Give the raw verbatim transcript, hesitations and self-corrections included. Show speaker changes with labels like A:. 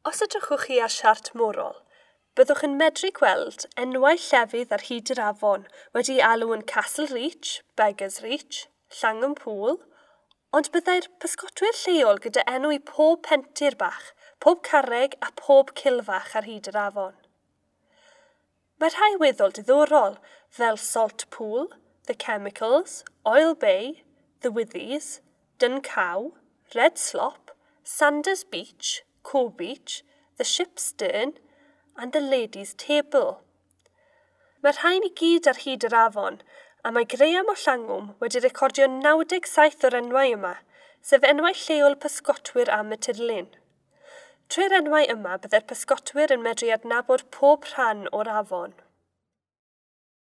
A: Os edrychwch chi ar siart morol, byddwch yn medru gweld enwau llefydd ar hyd yr afon wedi alw yn Castle Reach, Beggars Reach, Llangwm Pool, ond byddai'r pysgotwyr lleol gyda enw i pob pentir bach, pob carreg a pob cilfach ar hyd yr afon. Mae rhai weddol diddorol, fel Salt Pool, The Chemicals, Oil Bay, The Withies, Duncow, Red Slop, Sanders Beach, Co Beach, The Ship's Stern and The Ladies' Table. Mae'r rhain i gyd ar hyd yr afon, a mae Graham o Llangwm wedi recordio naw deg saith o'r enwau yma, sef enwau lleol pysgotwyr am y tirlun. Trwy'r enwau yma byddai'r pysgotwyr yn medru adnabod pob rhan o'r afon.